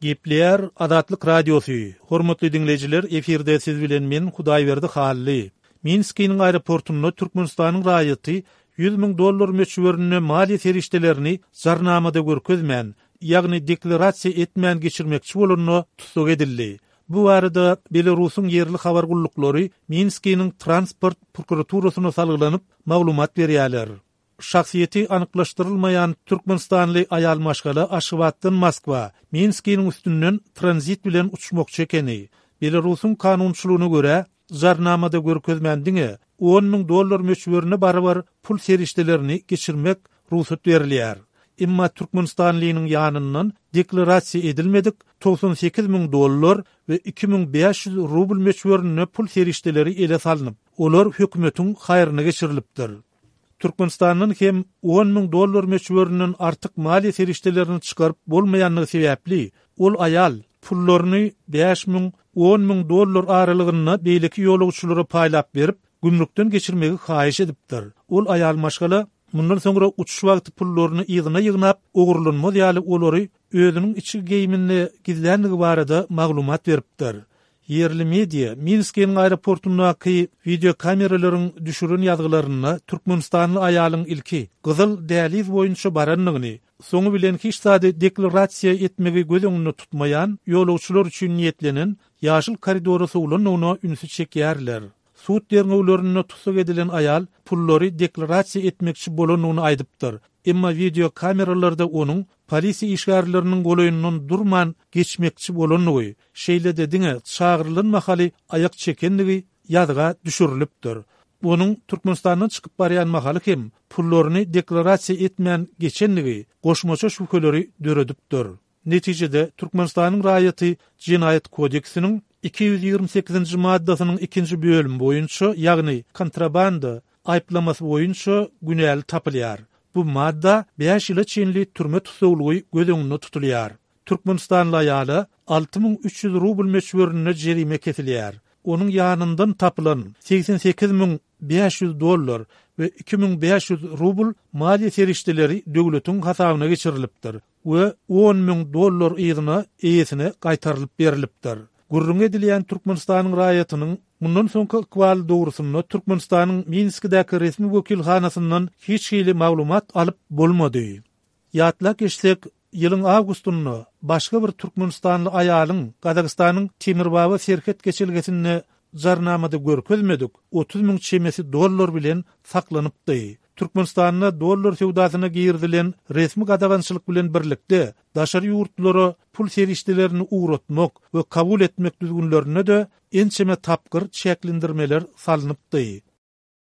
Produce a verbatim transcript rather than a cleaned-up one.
Gepleýär Azatlyk Radiosy. Hormatly diňleýjiler, efirde siz bilen men Hudaýberdi Hally. Minskiniň aeroportunda Türkmenistanyň raýaty ýüz müň dollar möçberinde maliýe serişdelerini jarnamada görkezmän, ýagny deklarasiýa etmän geçirmekçi bolanda tussag edildi. Bu barada Belarusyň ýerli habar gulluklary Minskiniň transport prokuraturasyna salgylanyp maglumat berýärler. Şahsyýeti anyklaşdyrylmaýan türkmenistanly aýal maşgala Aşgabatdan Moskwa, Minskiniň üstünden tranzit bilen uçmakçy ekeni. Belarusyň kanunçylygyna görä, jarnamada görkezmän diňe on müň dollar möçberine barabar pul serişdelerini geçirmek rugsat berilýär. Emma türkmenistanlynyň ýanyndan deklarasiýa edilmedik togsan sekiz müň dollar we iki müň bäş ýüz rubl möçberinde pul serişdeleri ele salnyp, olar hökümetiň haýryna geçirilipdir. Türkmenistandan hem on müň dollar möçberinden artyk maliýe serişdelerini çykaryp bolmaýanlygy sebäpli, ol aýal pullaryny bäş müň, on müň dollar aralygynda beýleki ýolagçylara paýlap berip, gümrükden geçirmegi haýyş edipdir. Ol aýal maşgala mundan soňra uçuş wagty pullaryny yzyna ýygnap, ogurlanmaz ýaly olary özüniň içki geýiminde gizlänligi barada maglumat beripdir. Ýerli media Minskiniň aeroportundaky wideokameralaryň düşüren ýazgylarynda türkmenistanly aýalyň ilki gyzyl däliz boýunça barandygyny, soňy bilen hiç zady deklarasiýa etmegi göz öňünde tutmaýan ýolagçylar üçin niýetlenen ýaşyl koridora sowlandygyna ünsi çekýärler. Sud derňewlerinde tussag edilen aýal pullary deklarasiýa etmekçi bolandygyny aýdypdyr. Emma wideokameralarda onuň polisiýa işgärleriniň golaýyndan durman geçmekçi bolandygy, şeýle-de diňe çagyrylan mahaly aýak çekendigi ýazga düşürilipdir. Onuň Türkmenistandan çykyp barýan mahaly hem pullaryny deklarasiýa etmän geçendigi goşmaça şübheleri döredipdir. Netijede Türkmenistanyň raýaty Jenaýat kodeksiniň iki ýüz ýigrimi sekizinji maddasynyň ikinji bölümi boýunça, ýagny kontrabanda aýyplamasy boýunça günäli tapylýar. Bu madda bäş ýyla çenli türme tussaglygy göz öňünde tutulýar. Türkmenistanly aýala alty müň üç ýüz rubl möçberinde jerime kesilýär. Onuň ýanyndan tapylan segsen sekiz müň bäş ýüz dollar we iki müň bäş ýüz rubl maliýe serişdeleri döwletiň hasabyna geçirilipdir we on müň dollar yzyna eýesine gaýtarylyp berilipdir. Gürrüň edilýän Türkmenistanyň raýatynyň mundan soňky ykbaly dogrusynda Türkmenistanyň Minskidäki resmi wekilhanasyndan hiç hili maglumat alyp bolmady. Ýatlap geçsek, ýylyň awgustynda başga bir türkmenistanly aýalyň Gazagystanyň Temirbaba serhet geçelgesinde jarnamada görkezmedik otuz müň çemesi dollar bilen saklanypdy. Türkmenistanda dollar söwdasyna girizilen resmi gadagançylyk bilen birlikde daşary ýurtlara pul serişdelerini ugratmak we kabul etmek düzgünlerine de ençeme tapgyr çäklendirmeler salnypdy.